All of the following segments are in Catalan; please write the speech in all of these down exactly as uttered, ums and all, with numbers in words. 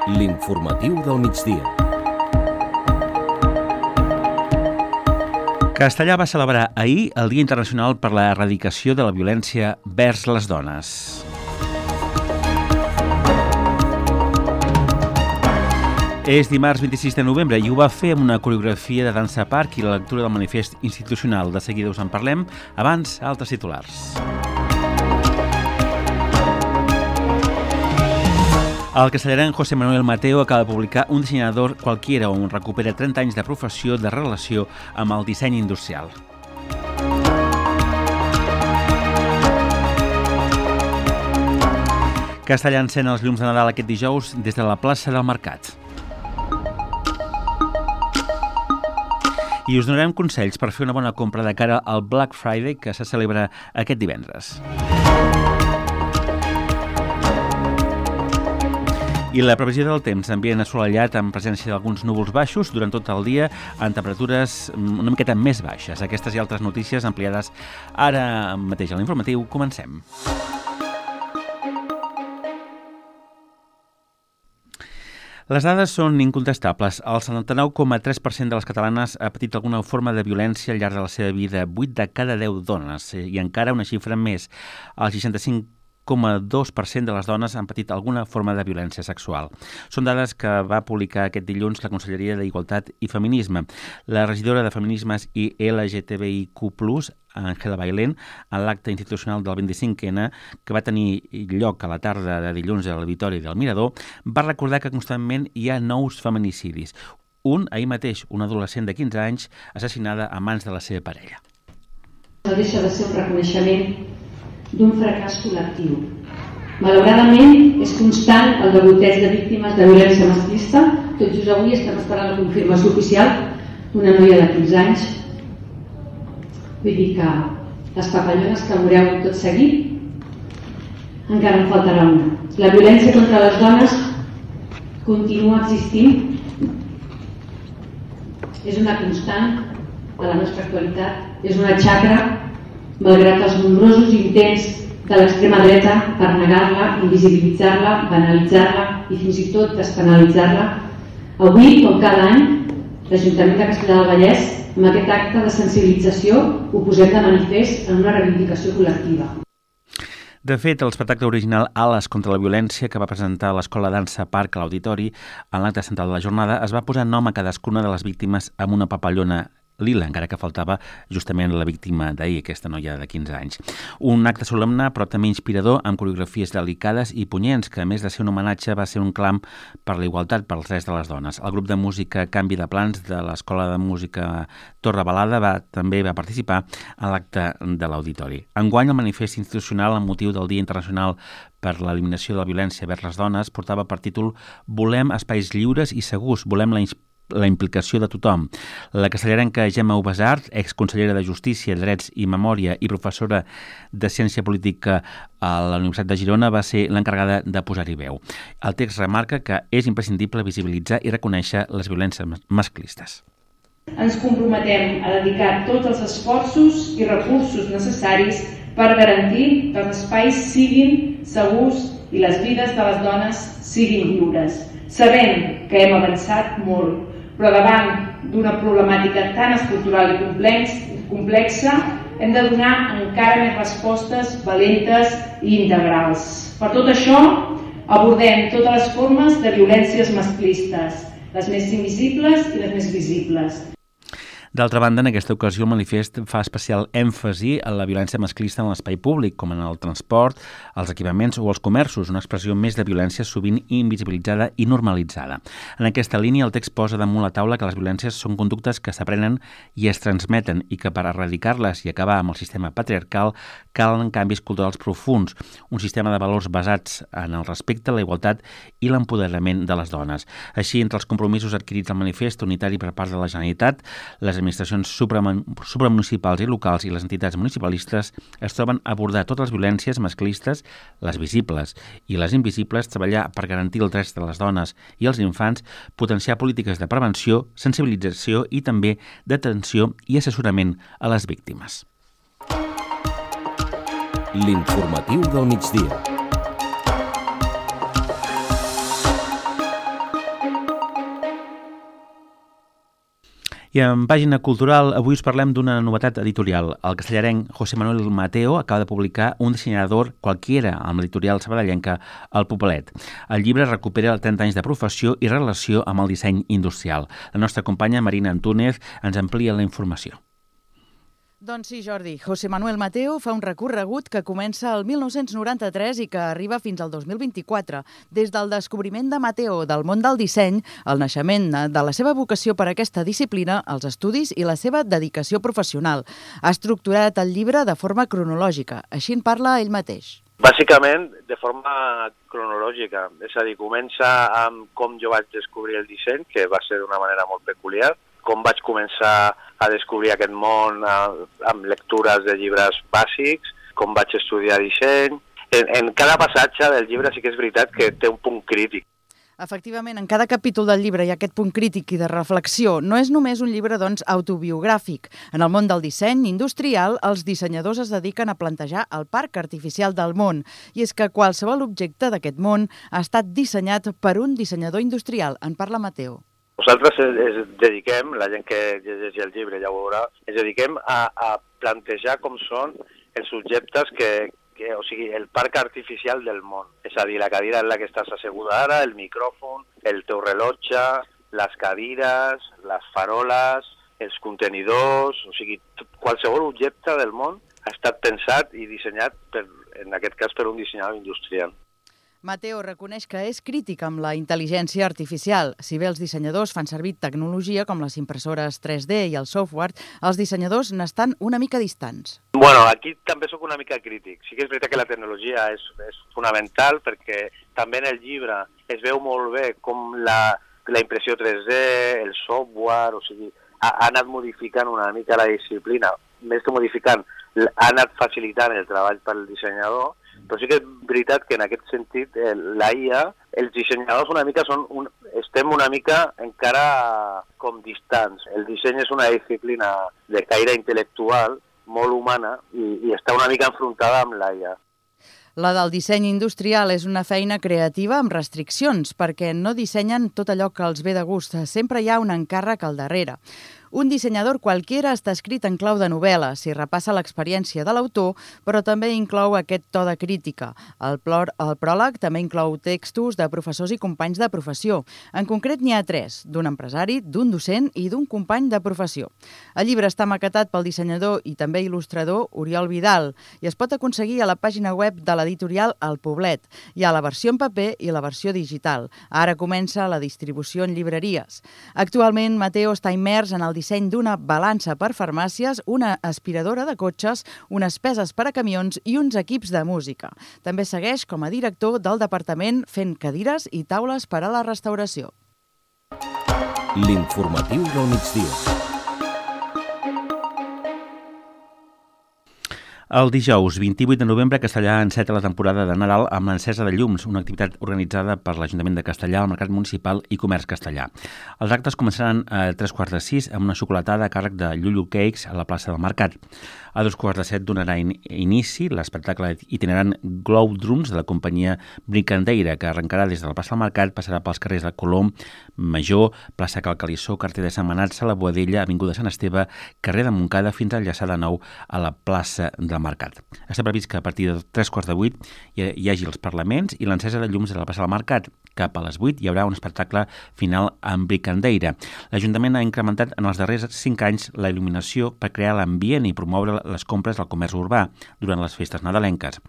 L'informatiu del migdia. Castellà va celebrar ahir el Dia Internacional per la Erradicació de la Violència vers les Dones. És dimarts vint-i-sis de novembre i ho va fer amb una coreografia de dansa parc i la lectura del manifest institucional. De seguida us en parlem. Abans, altres titulars. El castellarenc José Manuel Mateo acaba de publicar Un dissenyador qualquiera, on recupera trenta anys de professió de relació amb el disseny industrial. Castellà encén els llums de Nadal aquest dijous des de la plaça del Mercat. I us donarem consells per fer una bona compra de cara al Black Friday que se celebra aquest divendres. I la previsió del temps, ambient assolellat amb presència d'alguns núvols baixos durant tot el dia, amb temperatures una miqueta més baixes. Aquestes i altres notícies ampliades ara mateix a l'informatiu. Comencem. Les dades són incontestables. El setanta-nou coma tres per cent de les catalanes ha patit alguna forma de violència al llarg de la seva vida, vuit de cada deu dones, i encara una xifra més, el seixanta-cinc coma dos per cent de les dones han patit alguna forma de violència sexual. Són dades que va publicar aquest dilluns la Conselleria d'Igualtat i Feminisme. La regidora de Feminismes i L G T B I Q plus, Ángela Bailén, en l'acte institucional del vint-i-cinc ena, que va tenir lloc a la tarda de dilluns a l'Auditori del Mirador, va recordar que constantment hi ha nous feminicidis. Un, ahir mateix, una adolescent de quinze anys, assassinada a mans de la seva parella. No deixa de ser un reconeixement d'un fracàs col·lectiu. Malauradament, és constant el degoteig de víctimes de violència masclista. Tot just avui estem esperant la confirmació oficial d'una noia de quinze anys. Vull dir que les papallones que veureu tot seguit encara en faltarà una. La violència contra les dones continua existint. És una constant de la nostra actualitat. És una xacra, malgrat els nombrosos intents de l'extrema dreta per negar-la, invisibilitzar-la, banalitzar-la i fins i tot despenalitzar-la. Avui, com cada any, l'Ajuntament de Castellar del Vallès, amb aquest acte de sensibilització, ho posem de manifest en una reivindicació col·lectiva. De fet, l'espectacle original Ales contra la violència que va presentar l'Escola Dansa Parc a l'Auditori en l'acte central de la jornada es va posar nom a cadascuna de les víctimes amb una papallona lila, encara que faltava justament la víctima d'ahir, aquesta noia de quinze anys. Un acte solemne, però també inspirador, amb coreografies delicades i punyents, que a més de ser un homenatge va ser un clam per la igualtat pels drets de les dones. El grup de música Canvi de Plans de l'Escola de Música Torre Balada va, també va participar en l'acte de l'Auditori. Enguany, el manifest institucional amb motiu del Dia Internacional per l'Eliminació de la Violència vers les Dones portava per títol Volem espais lliures i segurs, volem la inspiració la implicació de tothom. La castellarenca Gemma Ubasart, exconsellera de Justícia, Drets i Memòria i professora de Ciència Política a la Universitat de Girona, va ser l'encarregada de posar-hi veu. El text remarca que és imprescindible visibilitzar i reconèixer les violències masclistes. Ens comprometem a dedicar tots els esforços i recursos necessaris per garantir que els espais siguin segurs i les vides de les dones siguin lliures. Sabem que hem avançat molt, però davant d'una problemàtica tan estructural i complex, complexa, hem de donar encara més respostes valentes i integrals. Per tot això, abordem totes les formes de violències masclistes, les més invisibles i les més visibles. D'altra banda, en aquesta ocasió el manifest fa especial èmfasi en la violència masclista en l'espai públic, com en el transport, els equipaments o els comerços, una expressió més de violència sovint invisibilitzada i normalitzada. En aquesta línia, el text posa damunt la taula que les violències són conductes que s'aprenen i es transmeten i que per erradicar-les i acabar amb el sistema patriarcal calen canvis culturals profunds, un sistema de valors basats en el respecte, la igualtat i l'empoderament de les dones. Així, entre els compromisos adquirits al manifest unitari per part de la Generalitat, les administracions supramunicipals i locals i les entitats municipalistes es troben a abordar totes les violències masclistes, les visibles i les invisibles, treballar per garantir els drets de les dones i els infants, potenciar polítiques de prevenció, sensibilització i també d'atenció i assessorament a les víctimes. L'informatiu del migdia. I en pàgina cultural, avui us parlem d'una novetat editorial. El castellarenc José Manuel Mateo acaba de publicar Un dissenyador qualquiera amb l'editorial sabadellenca El Popelet. El llibre recupera trenta anys de professió i relació amb el disseny industrial. La nostra companya Marina Antúnez ens amplia la informació. Doncs sí, Jordi. José Manuel Mateo fa un recorregut que comença el mil nou-cents noranta-tres i que arriba fins al dos mil vint-i-quatre. Des del descobriment de Mateo del món del disseny, el naixement de la seva vocació per a aquesta disciplina, els estudis i la seva dedicació professional. Ha estructurat el llibre de forma cronològica. Així en parla ell mateix. Bàsicament, de forma cronològica. És a dir, comença amb com jo vaig descobrir el disseny, que va ser d'una manera molt peculiar, com vaig començar a descobrir aquest món amb lectures de llibres bàsics, com vaig estudiar disseny. En, en cada passatge del llibre sí que és veritat que té un punt crític. Efectivament, en cada capítol del llibre hi ha aquest punt crític i de reflexió. No és només un llibre, doncs, autobiogràfic. En el món del disseny industrial, els dissenyadors es dediquen a plantejar el parc artificial del món. I és que qualsevol objecte d'aquest món ha estat dissenyat per un dissenyador industrial. En parla Mateo. Nosaltres ens dediquem, la gent que llegeix el llibre ja ho veurà, ens dediquem a, a plantejar com són els objectes que, que, o sigui, el parc artificial del món. És a dir, la cadira en la que estàs asseguda ara, el micròfon, el teu rellotge, les cadires, les faroles, els contenidors, o sigui, qualsevol objecte del món ha estat pensat i dissenyat, per, en aquest cas, per un dissenyador industrial. Mateo reconeix que és crític amb la intel·ligència artificial. Si bé els dissenyadors fan servir tecnologia com les impressores tres D i el software, els dissenyadors n'estan una mica distants. Bueno, aquí també sóc una mica crític. Sí que és veritat que la tecnologia és, és fonamental perquè també en el llibre es veu molt bé com la, la impressió tres D, el software, o sigui, ha, ha anat modificant una mica la disciplina. Més que modificant, ha anat facilitant el treball pel dissenyador. Però sí que és veritat que en aquest sentit eh, la I A, els dissenyadors una mica són un, estem una mica encara com distants. El disseny és una disciplina de caire intel·lectual, molt humana, i, i està una mica enfrontada amb la I A. La del disseny industrial és una feina creativa amb restriccions, perquè no dissenyen tot allò que els ve de gust. Sempre hi ha un encàrrec al darrere. Un dissenyador qualquiera està escrit en clau de novel·la, si repassa l'experiència de l'autor, però també inclou aquest to de crítica. El, plor, el pròleg també inclou textos de professors i companys de professió. En concret n'hi ha tres, d'un empresari, d'un docent i d'un company de professió. El llibre està maquetat pel dissenyador i també il·lustrador Oriol Vidal i es pot aconseguir a la pàgina web de l'editorial El Poblet. Hi ha la versió en paper i la versió digital. Ara comença la distribució en llibreries. Actualment, Mateo està immers en el disseny d'una balança per farmàcies, una aspiradora de cotxes, unes peses per a camions i uns equips de música. També segueix com a director del departament fent cadires i taules per a la restauració. L'informatiu del migdia. El dijous vint-i-vuit de novembre, Castellà enceta la temporada de Nadal amb l'encesa de llums, una activitat organitzada per l'Ajuntament de Castellà, el Mercat Municipal i Comerç Castellà. Els actes començaran a tres quarts de sis amb una xocolatada a càrrec de Llullu Cakes a la plaça del Mercat. A dos quarts de set donarà inici l'espectacle itinerant Glow Drums de la companyia Brincandeira, que arrencarà des de la plaça del Mercat, passarà pels carrers de Colom, Major, plaça Cal Calissó, carrer de Sant Manat, la Boadella, avinguda Sant Esteve, carrer de Montcada, fins a enllaçar de nou a la plaça del Mercat. Està previst que a partir de tres quarts de vuit hi hagi els parlaments i l'encesa de llums de la plaça del Mercat. Cap a les vuit hi haurà un espectacle final amb Brincandeira. L'Ajuntament ha incrementat en els darrers cinc anys la il·luminació per crear l'ambient i promoure les compres del comerç urbà durant les festes nadalenques.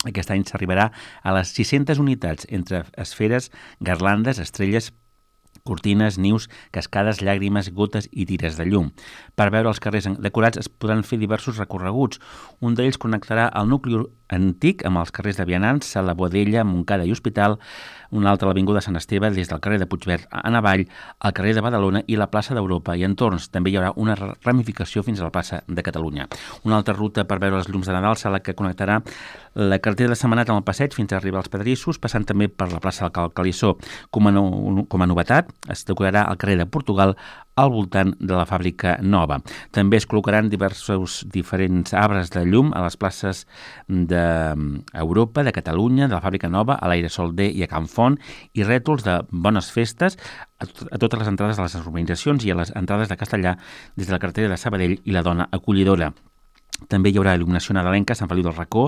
Aquest any s'arribarà a les sis-centes unitats entre esferes, garlandes, estrelles, cortines, nius, cascades, llàgrimes, gotes i tires de llum. Per veure els carrers decorats es podran fer diversos recorreguts. Un d'ells connectarà el nucli antic amb els carrers de Vianants, la Boadella, Montcada i Hospital, un altre a l'Avinguda Sant Esteve, des del carrer de Puigverd a Navall, al carrer de Badalona i la plaça d'Europa i entorns. També hi haurà una ramificació fins a la plaça de Catalunya. Una altra ruta per veure els llums de Nadal serà la que connectarà la carretera de Sant Manat amb el passeig fins a arribar als Pedrissos, passant també per la plaça del Cal Calissó. Com a, no, com a novetat, passat es decorarà al carrer de Portugal al voltant de la fàbrica nova. També es col·locaran diversos diferents arbres de llum a les places d'Europa, de Catalunya, de la fàbrica nova, a l'Airesol D i a Can Font, i rètols de bones festes a totes les entrades de les urbanitzacions i a les entrades de Castellà des de la carretera de Sabadell i la Dona Acollidora. També hi haurà il·luminació nadalenca a Sant Feliu del Racó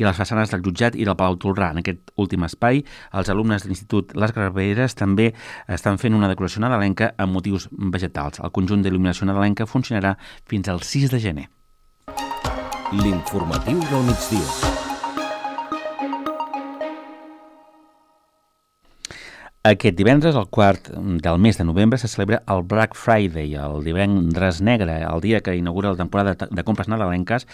i a les façanes del Jutjat i del Palau Tolrà. En aquest últim espai, els alumnes de l'Institut Les Graveres també estan fent una decoració nadalenca amb motius vegetals. El conjunt d'il·luminació nadalenca funcionarà fins al sis de gener. L'informatiu del migdia. Aquest divendres, el quart del mes de novembre, se celebra el Black Friday, el divendres negre, el dia que inaugura la temporada de compres nadalenques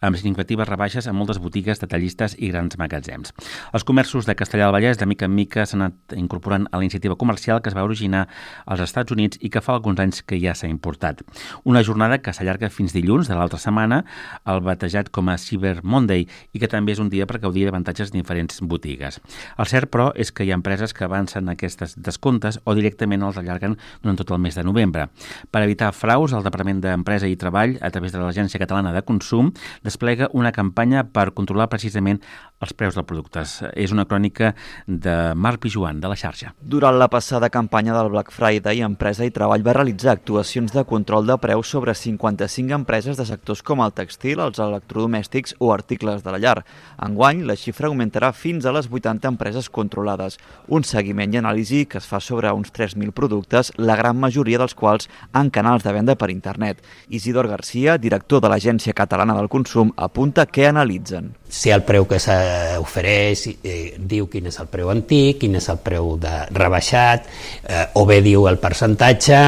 amb significatives rebaixes a moltes botigues, detallistes i grans magatzems. Els comerços de Castellar del Vallès, de mica en mica, s'han anat incorporant a la iniciativa comercial que es va originar als Estats Units i que fa alguns anys que ja s'ha importat. Una jornada que s'allarga fins dilluns de l'altra setmana, el batejat com a Cyber Monday, i que també és un dia per gaudir d'avantatges de diferents botigues. El cert, però, és que hi ha empreses que avancen aquestes descomptes o directament els allarguen durant tot el mes de novembre. Per evitar fraus, el Departament d'Empresa i Treball, a través de l'Agència Catalana de Consum, desplega una campanya per controlar precisament els preus dels productes. És una crònica de Marc Pijuan, de la xarxa. Durant la passada campanya del Black Friday, Empresa i Treball va realitzar actuacions de control de preus sobre cinquanta-cinc empreses de sectors com el textil, els electrodomèstics o articles de la llar. Enguany, la xifra augmentarà fins a les vuitanta empreses controlades. Un seguiment i anàlisi que es fa sobre uns tres mil productes, la gran majoria dels quals en canals de venda per internet. Isidor Garcia, director de l'Agència Catalana del Consum, apunta què analitzen. Si el preu que s'ofereix eh, diu quin és el preu antic, quin és el preu de rebaixat, eh, o bé diu el percentatge,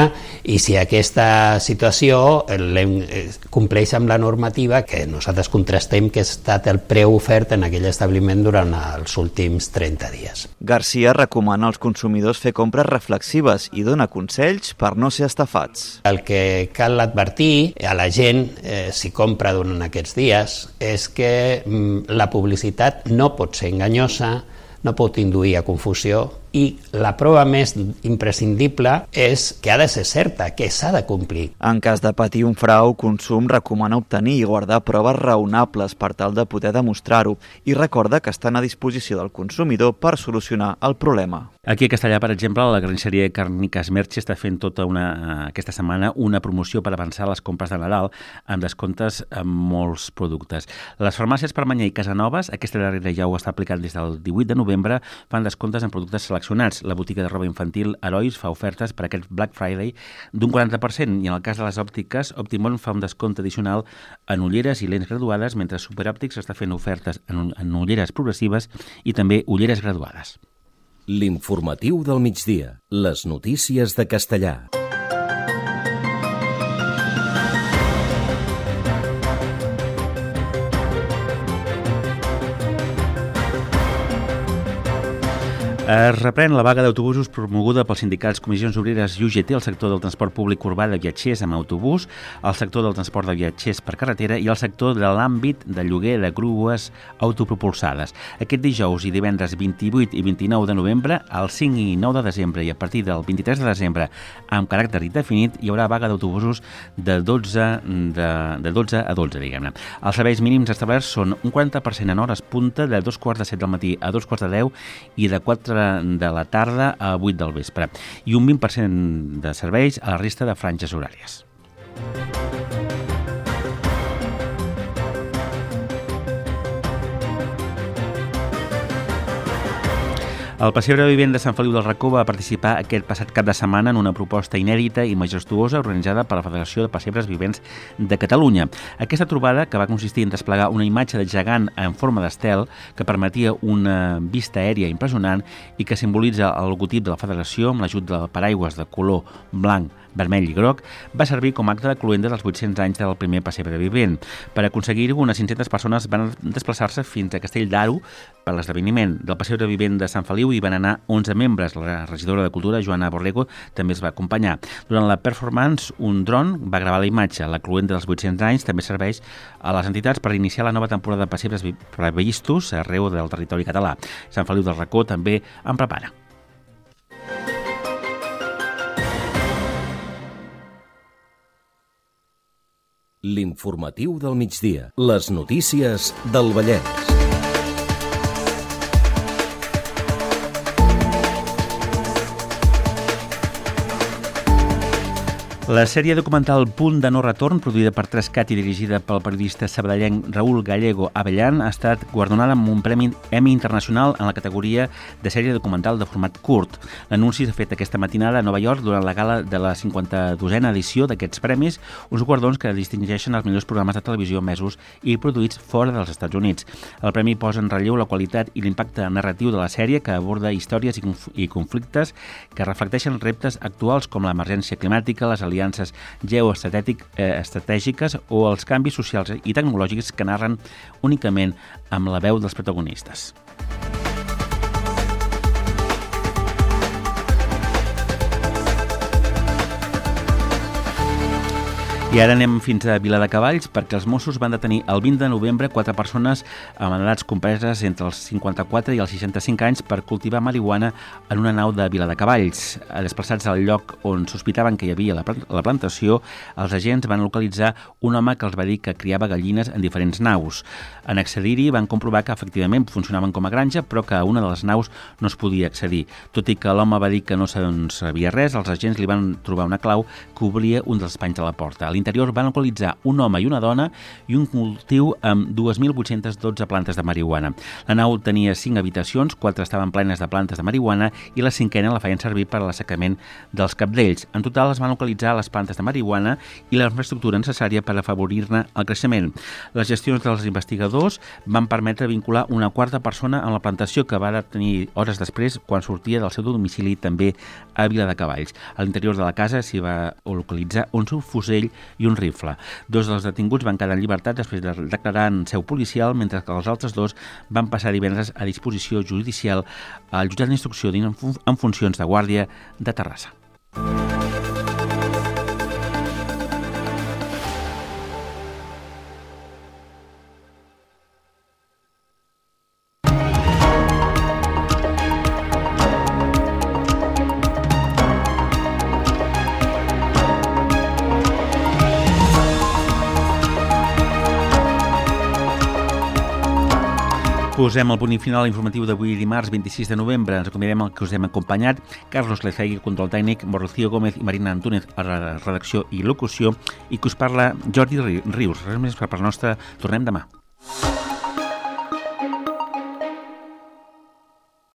i si aquesta situació eh, compleix amb la normativa que nosaltres contrastem que ha estat el preu ofert en aquell establiment durant els últims trenta dies. Garcia recomana als consumidors fer compres reflexives i dona consells per no ser estafats. El que cal advertir a la gent, eh, si compra durant aquests dies, és que mm, la publicitat no pot ser enganyosa, no pot induir a confusió, i la prova més imprescindible és que ha de ser certa, que s'ha de complir. En cas de patir un frau, Consum recomana obtenir i guardar proves raonables per tal de poder demostrar-ho i recorda que estan a disposició del consumidor per solucionar el problema. Aquí a Castellà, per exemple, la carnisseria Càrniques Merche està fent tota una, aquesta setmana una promoció per avançar les compres de Nadal amb descomptes en molts productes. Les farmàcies Permanyer i Casanovas, aquesta darrera ja ho està aplicant des del divuit de novembre, fan descomptes en productes seleccionats. La botiga de roba infantil Herois fa ofertes per aquest Black Friday d'un quaranta per cent i en el cas de les òptiques, Optimon fa un descompte addicional en ulleres i lents graduades, mentre Superòptics està fent ofertes en, en ulleres progressives i també ulleres graduades. L'informatiu del migdia. Les notícies de Castellà. Es reprèn la vaga d'autobusos promoguda pels sindicats Comissions Obreres i U G T al sector del transport públic urbà de viatgers amb autobús, al sector del transport de viatgers per carretera i al sector de l'àmbit de lloguer de grues autopropulsades. Aquest dijous i divendres vint-i-vuit i vint-i-nou de novembre, el cinc i nou de desembre i a partir del vint-i-tres de desembre, amb caràcter indefinit, hi haurà vaga d'autobusos de dotze, de, de dotze a dotze, diguem-ne. Els serveis mínims establerts són un quaranta per cent en hores punta, de dos quarts de set del matí a dos quarts de deu i de quatre de la tarda a vuit del vespre, i un vint per cent de serveis a la resta de franges horàries. El Pessebre Vivent de Sant Feliu del Racó va participar aquest passat cap de setmana en una proposta inèdita i majestuosa organitzada per la Federació de Pessebres Vivents de Catalunya. Aquesta trobada, que va consistir en desplegar una imatge de gegant en forma d'estel que permetia una vista aèria impressionant i que simbolitza el logotip de la Federació amb l'ajut del paraigües de color blanc, vermell i groc, va servir com a acte de cloenda dels vuit-cents anys del primer Pessebre Vivent. Per aconseguir-ho, unes cinc-centes persones van desplaçar-se fins a Castell d'Aro per l'esdeveniment del Pessebre Vivent de Sant Feliu i van anar onze membres. La regidora de Cultura, Joana Borrego, també es va acompanyar. Durant la performance, un dron va gravar la imatge. La cloenda dels vuit-cents anys també serveix a les entitats per iniciar la nova temporada de pessebres previstos arreu del territori català. Sant Feliu del Racó també en prepara. L'informatiu del migdia. Les notícies del Vallès. La sèrie documental Punt de no retorn, produïda per tres cat i dirigida pel periodista sabadellenc Raúl Gallego Abellán, ha estat guardonada amb un Premi Emmy Internacional en la categoria de sèrie documental de format curt. L'anunci s'ha fet aquesta matinada a Nova York durant la gala de la cinquanta-dosena edició d'aquests premis, uns guardons que distingeixen els millors programes de televisió emesos i produïts fora dels Estats Units. El premi posa en relleu la qualitat i l'impacte narratiu de la sèrie, que aborda històries i, conf i conflictes que reflecteixen reptes actuals com l'emergència climàtica, les aliances aliances geoestratègiques o els canvis socials i tecnològics que narren únicament amb la veu dels protagonistes. I ara anem fins a Viladecavalls perquè els Mossos van detenir el vint de novembre quatre persones amb edats compreses entre els cinquanta-quatre i els seixanta-cinc anys per cultivar marihuana en una nau de Viladecavalls. Desplaçats al lloc on sospitaven que hi havia la plantació, els agents van localitzar un home que els va dir que criava gallines en diferents naus. En accedir-hi van comprovar que efectivament funcionaven com a granja, però que a una de les naus no es podia accedir. Tot i que l'home va dir que no sabia res, els agents li van trobar una clau que obria un dels panys de la porta. A l'interior van localitzar un home i una dona i un cultiu amb dos mil vuit-centes dotze plantes de marihuana. La nau tenia cinc habitacions, quatre estaven plenes de plantes de marihuana i la cinquena la feien servir per a l'assecament dels cabdells. En total es van localitzar les plantes de marihuana i la infraestructura necessària per afavorir-ne el creixement. Les gestions dels investigadors van permetre vincular una quarta persona amb la plantació, que va detenir hores després quan sortia del seu domicili també a Viladecavalls. A l'interior de la casa s'hi va localitzar un subfusell i un rifle. Dos dels detinguts van quedar en llibertat després de declarar en seu policial, mentre que els altres dos van passar divendres a disposició judicial al jutjat d'instrucció en funcions de guàrdia de Terrassa. Posem el punt final informatiu d'avui dimarts vint-i-sis de novembre. Ens acomiadem el que us hem acompanyat. Carlos Lecegui, control tècnic, Rocío Gómez i Marina Antúnez a la redacció i locució, i que us parla Jordi Rius. Res més per part nostra. Tornem demà.